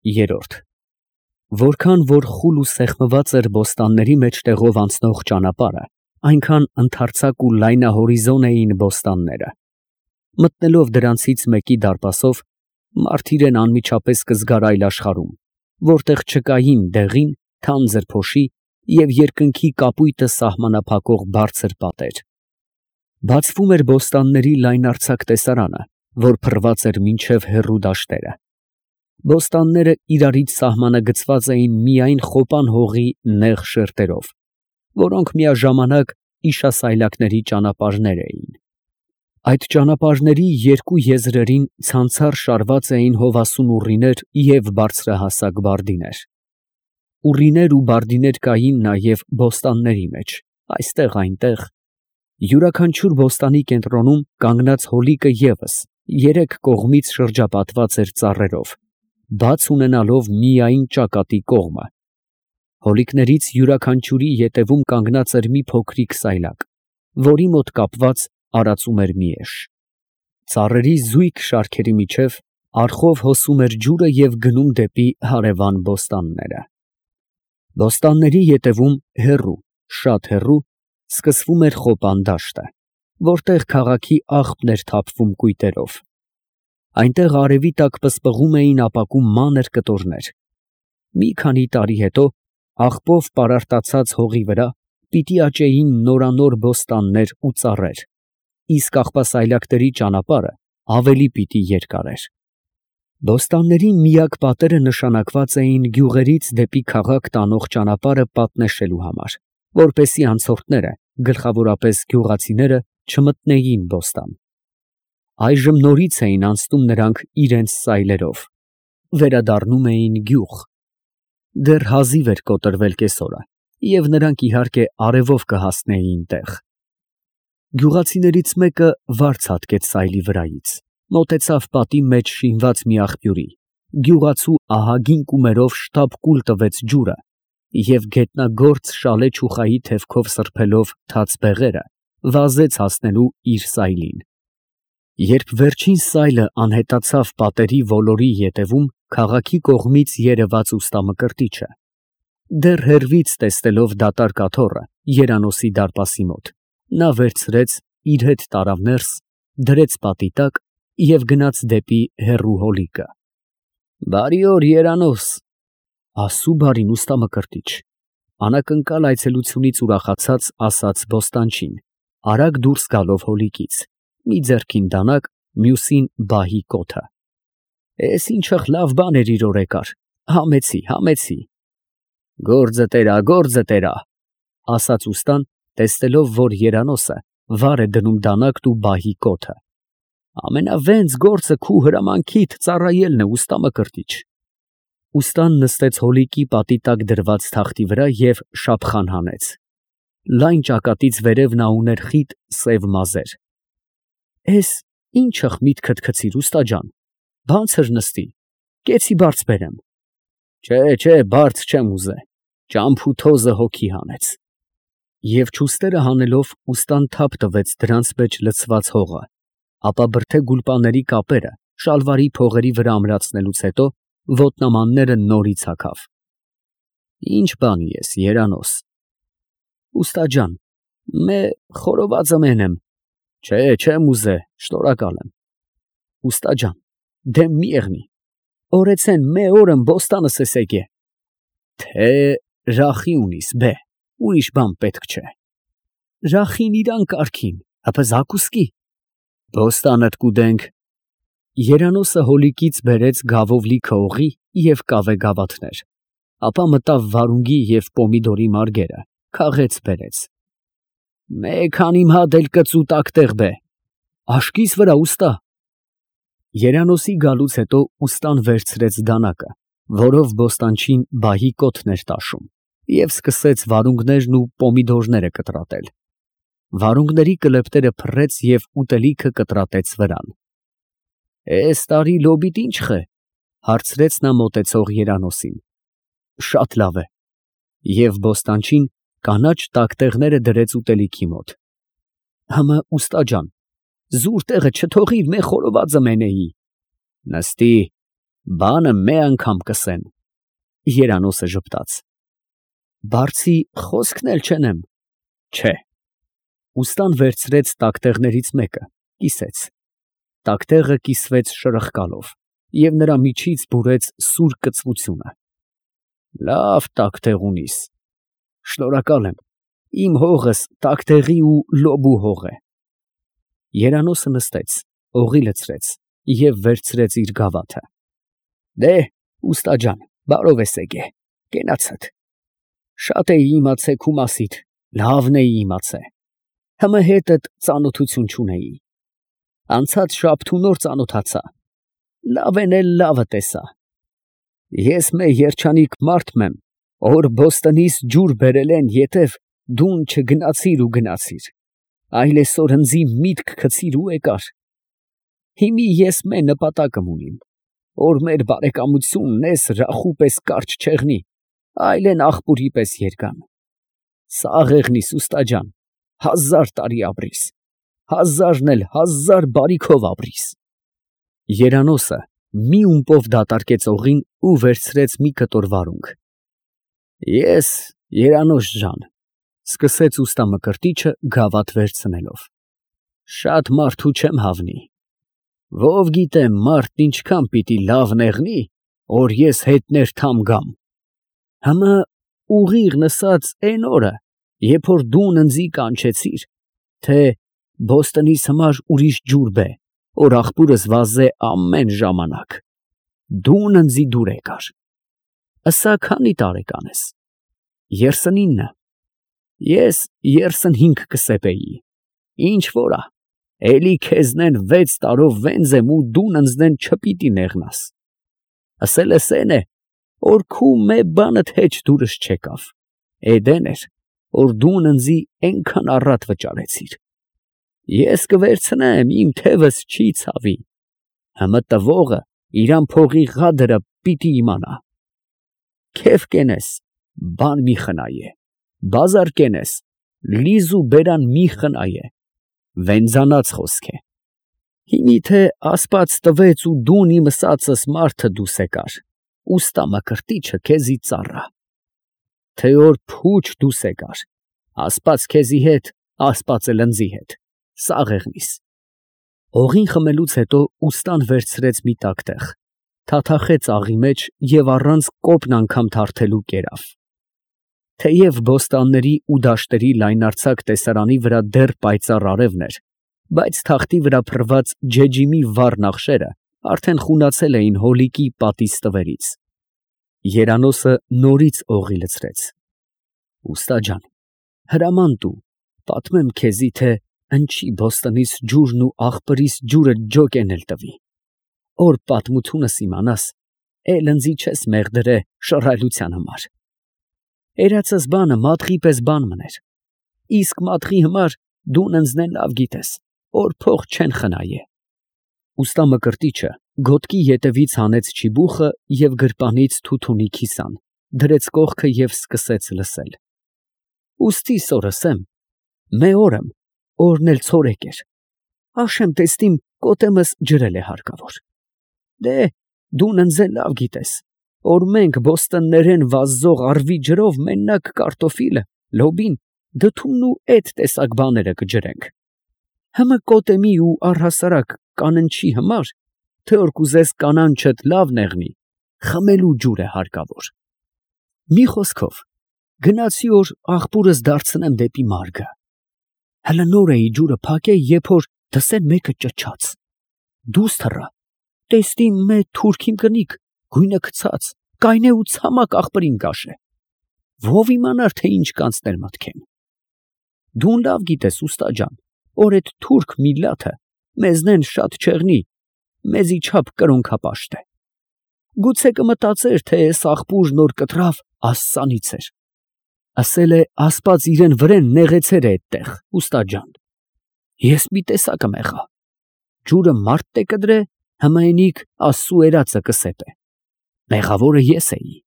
Երրորդ Որքան որ խուլ ու սեղմված էր բոստանների մեջտեղով անցնող ճանապարհը, այնքան ընդարձակ ու լայնահորիզոն էին բոստանները։ Մտնելով դրանցից մեկի դարպասով, մարդ իրեն անմիջապես կզգար այլ աշխարհում, որտեղ չկային դեղին, թանձր փոշի և երկնքի կապույտը սահմանափակող բարձր պատեր։ Բացվում էր բոստանների լայնարձակ տեսարանը, որ փռված էր մինչև հեռու դաշտերը։ Բոստանները իրարից սահմանագծված էին միայն խոպան հողի նեղ շերտերով, որոնք միաժամանակ իշասայլակների ճանապարհներ էին։ Այդ ճանապարհների երկու եզրերին ցանցառ շարված էին հովասուն ուռիներ և բարձրահասակ բարդիներ։ Ուռիներ ու բարդիներ կային նաև բոստանների մեջ, այստեղ-այնտեղ։ Յուրաքանչյուր բոստանի կենտրոնում կանգնած հոլիկը ևս երեք կողմից շրջապատված էր ծառերով, բաց ունենալով միայն ճակատի կողմը։ Հոլիկներից յուրաքանչյուրի ետևում կանգնած էր մի փոքրիկ սայլակ, որի մոտ կապված արածում էր մի էշ։ Ծառերի զույգ շարքերի միջև արխով հոսում էր ջուրը և գնում դեպի հարևան բոստանները։ Բոստանների ետևում հեռու, շատ հեռու, սկսվում էր խոպան դաշտը, որտեղ քաղաքի աղբն էր թափվում կույտերով։ Այնտեղ արևի տակ պսպղում էին ապակու մանր կտորներ։ Մի քանի տարի հետո աղբով պարարտացած հողի վրա պիտի աճեին նորանոր բոստաններ ու ծառեր, իսկ աղբասայլակների ճանապարհը ավելի պիտի երկարեր։ Բոստանների միակ պատերը նշանակված էին գյուղերից դեպի քաղաք տանող ճանապարհը պատնեշելու համար, որպեսզի անցորդները, գլխավորապես գյուղացիները, չմտնեին բոստան։ Այժմ նորից էին անցնում նրանք իրենց սայլերով, վերադառնում էին գյուղ։ Դեռ հազիվ էր կոտրվել կեսօրը, և նրանք իհարկե արևով կհասնեին տեղ։ Գյուղացիներից մեկը վարձ հատկեց սայլի վրայից, մոտեցավ պատի մեջ շինված մի աղբյուրի, գյուղացու ահագին կումերով շտապ կուլ տվեց ջուրը և գետնագործ շալե չուխայի թևքով սրբելով թաց բեղերը, վազեց հասնելու իր սայլին։ Երբ վերջին սայլը անհետացավ պատերի ոլորի ետևում քաղաքի կողմից երևաց ուստա Մկրտիչը, դեռ հեռվից տեսնելով դատարկ աթոռը երանոցի դարպասի մոտ, նա վերցրեց, իր հետ տարավ ներս, դրեց պատի տակ և գնաց դեպի հեռու հոլիկը։ «Բարի օր, երանոց»։ «Աստծու բարին, ուստա Մկրտիչ», անակնկալ այցելությունից ուրախացած ասաց բոստանչին, արագ դուրս գալով հոլիկից, մի ձեռքին դանակ, մյուսին բահի կոթը։ «Էս ինչ լավ բան էր իր օրեկար, համեցի։ Գործը տերա, ասաց ուստան, տեսնելով, որ երանոցը վար է դնում դանակն ու բահի կոթը։ Ամենավենձ գործը քու հրամանքիդ ծառայելն է, ուստա Մկրտիչ։ Ուստան նստեց հոլիկի պատի տակ դրված թախտի վրա և շափխան հանեց։ Լայն ճակատից վերև նա ուներ խիտ սև մազեր։ «Էս ի՞նչ միտքդ գցիր, ուստա ջան, բանցր նստի, կեցի բարձ բերեմ»։ «Չէ, բարձ չեմ ուզե, ճամփու թոզը հոգի հանեց»։ Եվ չուստերը հանելով ուստան թափ տվեց դրանց մեջ լցված հողը, ապա բրդե գուլպաների կապերը շալվարի փողերի վրա ամրացնելուց հետո ոտնամանները նորից հագավ։ «Ի՞նչ բանի ես, երանոց»։ «Ուստա ջան, խորովածը մենեմ»։ «Չէ, չեմ ուզե, շնորհակալ եմ»։ «Ուստա ջան, դեմ մի եղնի, օրեցեն օրըմ բոստանս ես եկե»։ «Թե ռախի ունիս, ուրիշ բան պետք չէ»։ «Ռախին իրան կարգին, հապա զակուսկի»։ «Բոստանդ կուդենք»։ Երանոցը հոլիկից բերեց գավով լիքը օղի և կավե գավաթներ, ապա մտավ վարունգի և պոմիդորի մարգերը, քաղեց բերեց։ «Քանի մհադ էլ կծու տակտեղ բե»։ «Աշկիս վրա, ուստա»։ Երանոցի գալուց հետո ուստան վերցրեց դանակը, որով բոստանչին բահի կոթն էր տաշում, և սկսեց վարունգներն ու պոմիդորները կտրատել։ Վարունգների կլեպտերը փռեց և ուտելիքը կտրատեց վրան։ «Էս տարի լոբիդ ի՞նչ խե», հարցրեց նա մոտեցող երանոցին։ «Շատ լավ է»։ Եվ բոստանչին կանաչ տակտեղները դրեց ուտելիքի մոտ։ «Հըմը, ուստա ջան, զուր տեղը չթողիր, խորովածը մենեի»։ «Նստի, Բանը մի անգամ կսեն։ Երանոսը ժպտաց։ Բարձի խոսքն էլ չենեմ։ Չէ։ Ուստան վերցրեց տակտեղներից մեկը, կիսեց։ Տակտեղը կիսվեց շրխկալով, և նրա միջից բուրեց սուր կծվությունը։ Լավ տակտեղ ունիս։ Շնորհակալ եմ, իմ հողս տակտեղի ու լոբու հող է։ Երանոսը նստեց, օղի լցրեց և վերցրեց իր գավաթը։ Դե, ուստա ջան, բարով ես եկե, կենացդ։ Շատ էի իմացե քու մասիդ, լավն էի իմացե։ Հմը հետդ ծանոթություն չունեի։ Անցած շաբթու նոր ծանոթացա։ Լավեն էլ լավը տեսա։ Ես մե երջանիկ մարդ մեմ, որ Բոստոնից ջուր բերել են ետև դուն չգնացիր ու գնացիր, այլ այսօր ընձի միտք գցիր ու եկար։ Հիմի ես մե նպատակım ունիմ, որ մեր բարեկամությունն էս ռախու պես կարճ չեղնի, այլեն աղբուրի պես երգան։ Սաղ եղնիս ուստա ջան, 1000 տարի ապրիս, 1000-ն էլ 1000 բարիքով ապրիս։ Երանոսը մի ումպով դատարկեց օղին ու վերցրեց մի կտոր վարունգ։ Ես, Երանոս ջան, սկսեց ուստա Մկրտիչը գավաթ վերցնելով, շատ մարդու չեմ հավնի։ Ով գիտե մարդն ինչքան պիտի լավ նեղնի, որ ես հետներ թամ գամ։ Հմը ուղիղ նսած էն օրը, երբ որ դուն ընձի կանչեցիր, թե Բոստոնից համար ուրիշ ջուր բե, որ աղբուրս վազե ամեն ժամանակ, դուն ընձի դուր եկար։ Ասա քանի տարեկան ես։ 39։ Ես 35 կսեպեի։ Ինչ որա, էլի քեզնեն 6 տարով վենձ եմ ու դուն ընձնեն չպիտի նեղնաս։ Ասել ես էն է, որ քու մե բանդ հեչ դուրս չեկավ, էդեն էր, որ դուն ընձի ենքան առատ վճարեցիր։ Ես կվերցնեմ, իմ թևս չի ցավի։ Հմը տվողը իրան փողի ղադրը պիտի իմանա։ Քեվ կենես, բան մի խնայե, բազար կենես, լիզու բերան մի խնայե, վենձանած խոսք է։ Հիմի թե ասպաց տվեց ու դուն իմ ըսածս մարդը դուս եկար, ուստա Մկրտիչը քեզի ծառա։ Թե որ փուչ դուս եկար, ասպաց քեզի հետ, ասպաց էլ ընձի հետ, սաղ եղնիս։ Օղին խմելուց հետո ուստան վերցրեց մի տակտեղ, թաթախեց աղի մեջ և առանց կոպն անգամ թարթելու կերավ։ Թեև բոստանների ու դաշտերի լայնարձակ տեսարանի վրա դեռ պայծառ արևն էր, բայց թախտի վրա փռված ջեջիմի վառ նախշերը արդեն խունացել էին հոլիկի պատի ստվերից։ Երանոսը նորից օղի լցրեց։ Ուստա ջան, հրաման տու, պատմեմ քեզի, թե ընչի Բոստոնից ջուրն ու աղբրիս ջուրը ջոկեն էլ տվի։ Որ պատմությունս իմանաս, էլ ընձի չես մեղդրե շռայլության համար։ Երացս բանը մատղի պես բան մներ, իսկ մատղի համար դուն ընձնեն լավ գիտես, որ փող չեն խնայե։ Ուստա Մկրտիչը գոտկի ետևից հանեց չիբուխը և գրպանից թութունի քիսան, դրեց կողքը և սկսեց լսել։ Ուստի սորսեմ, մե օրըմ, օրն էլ ցորեկ էր, աշեմ տեստիմ կոտեմս ջրել է հարկավոր։ Դե, դուն ընձեն լավ գիտես, որ մենք բոստոններեն վազող արվի ջրով մենակ կարտոֆիլը, լոբին, դդումն ու էդ տեսակ բաները կջրենք։ Հմը կոտեմի ու առհասարակ կաննչի համար, թե որ կուզես կանանչդ լավ նեղնի, խմելու ջուր է հարկավոր։ Մի խոսքով, գնացի որ աղբուրս դարձնեմ դեպի մարգը։ Հլը նոր էի ջուրը փակե, երբ որ դսեն մեկը ճչաց։ Դուս թռա, տեստի մե թուրքին կնիկ, գույնը գցած, կայնե ու ցամաք աղբրին կաշե։ Ով իմանար, թե ինչ կանցներ մտքեն։ Դուն լավ գիտես, ուստա ջան, որ էդ թուրք միլլաթը մեզնեն շատ չեղնի, մեզի չափ կրոնքապաշտ է։ Գուցե կմտածեր, թե էս աղբուրն որ կտրավ, աստծանից էր։ Ասել է ասպաց իրեն վրեն նեղեցեր է էդտեղ, ուստա ջան։ Ես մի տեսակը մեղա։ Ջուրը մարդ տե կդրե, հմայնիկ աստծու երածը կսեպե։ Մեղավորը ես էի։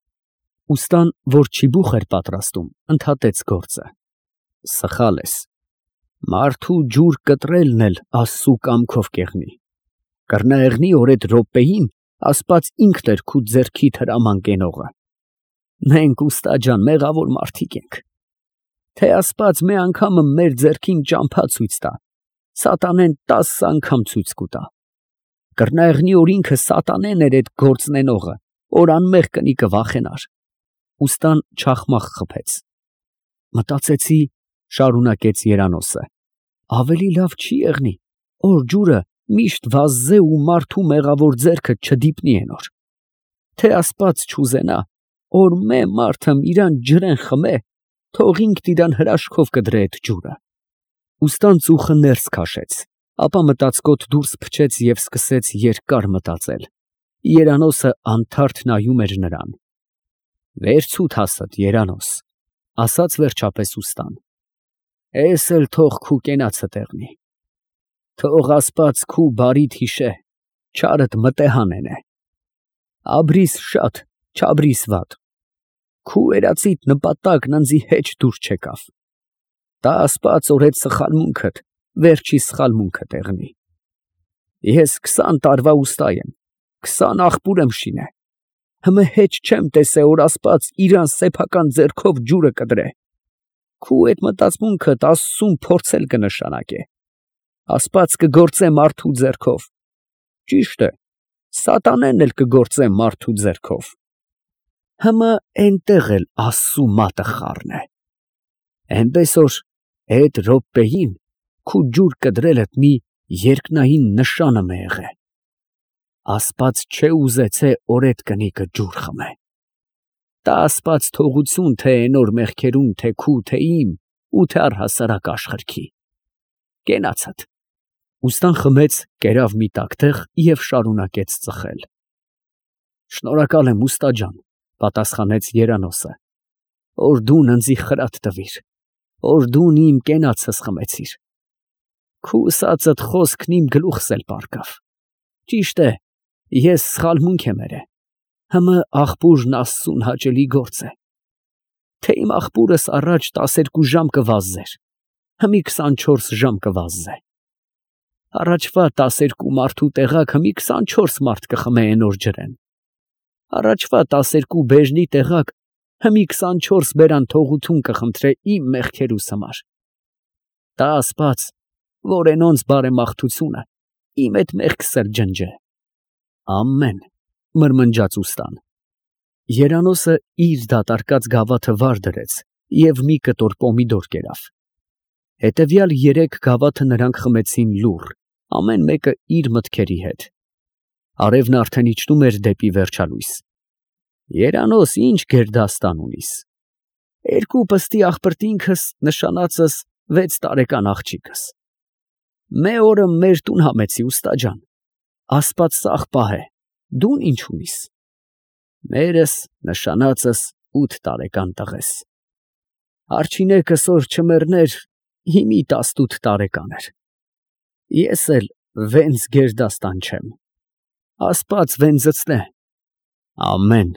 Ուստան, որ չիբուխ էր պատրաստում, ընդհատեց գործը։ Սխալ ես։ Մարդու ջուր կտրելն էլ աստծու կամքով կեղնի։ Կռնա եղնի, որ այդ րոպեին Աստված ինքն էր քու ձեռքիդ հրաման կենողը։ Մենք ուստա ջան մեղավոր մարդիկ ենք։ Թե Աստված մի անգամը մեր ձեռքին ճամփա ցույց տա, սատանեն 10 անգամ ցույց կտա։ Կրնայղնի օրինքը սատանեն էր այդ գործնենողը, որ անմեղ կնի կվախենար։ Ուստան չախմախ խփեց։ Մտածեցի, շարունակեց Երանոսը, ավելի լավ չի եղնի, որ ջուրը միշտ վազզե ու մարդու մեղավոր ձեռքը չդիպնի ենոր։ Թե Աստված չուզենա, որ մե մարդը իրան ջրեն խմե, թող ինքն իրան հրաշքով կդրե այդ ջուրը։ Ուստան ծուխը ներս քաշեց, ապա մտածկոտ դուրս փչեց և սկսեց երկար մտածել։ Երանոսը անթարթ նայում էր նրան։ Վերցուտ հասդ, Երանոս, ասաց վերջապես ուստան։ Էս էլ թող քու կենացը տեղնի։ Թող Աստված քու բարիդ հիշե, չարդ մտեհանենե։ Աբրիս շատ, չաբրիս վատ։ Քու երացիդ նպատակն ընձի հեչ դուր չեկավ։ Տա Աստված որ այդ սխալմունքդ, վերջի սխալմունքը տեղնի։ Ես 20 տարվա ուստա եմ, 20 աղբուր եմ շինե։ Հմե հեչ չեմ տեսե որ Աստված իրան սեփական ձեռքով ջուրը կդրե։ Քու այդ մտածմունքդ Աստծուն փորձել կնշանակե։ Աստված կգործե մարդու ձեռքով։ Ճիշտ է, սատանեն էլ կգործե մարդու ձեռքով։ Հմը այնտեղ էլ Աստծու մատը խառն է։ Էնպես որ այդ րոպեին քու ջուր կդրելդ մի երկնային նշանը մը եղե։ Աստված չէ ուզեցե որ այդ կնիկը ջուր խմե։ Տա Աստված թողություն թե այնոր մեղքերուն, թե քու, թե իմ ու թե առհասարակ աշխարհքի։ Կենացդ։ Ուստան խմեց, կերավ մի տակտեղ և շարունակեց ծխել։ Շնորհակալ եմ ուստա ջան, պատասխանեց Երանոսը, որ դու ընձի խրատ տվիր, որ դու իմ կենացս խմեցիր։ Քու ասածդ խոսքն իմ գլուխս էլ պառկավ։ Ճիշտ է, ես սխալմունք եմ երե, հմը աղբուրն Աստծուն հաճելի գործ է։ Թե իմ աղբուրս առաջ 12 ժամ կվազզեր, հմի 24 ժամ կվազզե։ Առաջվա 12 մարդու տեղակ հմի 24 մարդ կխմե այնօր ջրեն։ Առաջվա 12 բեժնի տեղակ հմի 24 բերան թողություն կխնդրե իմ մեղքերուս համար։ Տա Աստված, որ այնոնց բարեմաղթությունը իմ այդ մեղքս էլ ջնջե։ Ամեն, մրմնջաց ուստան։ Երանոսը իր դատարկած գավաթը վար դրեց և մի կտոր պոմիդոր կերավ։ Հետևյալ 3 գավաթը նրանք խմեցին լուռ, ամեն մեկը իր մտքերի հետ։ Արևն արդեն իջնում էր դեպի վերջալույս։ Երանոս, ինչ գերդաստան ունիս։ 2 պստի աղբրտինքս նշանածս 6 տարեկան աղջիկս։ Մե օրը մեր տուն համեցի ուստա ջան։ Աստված սաղ պահե, դուն ինչ ունիս։ Մերս նշանածս 8 տարեկան տղես։ Արջինեկս որ չմեռներ, հիմի 18 տարեկան էր։ Ես էլ վենց գերդաստան չեմ։ Աստված վենձցնե։ Ամեն։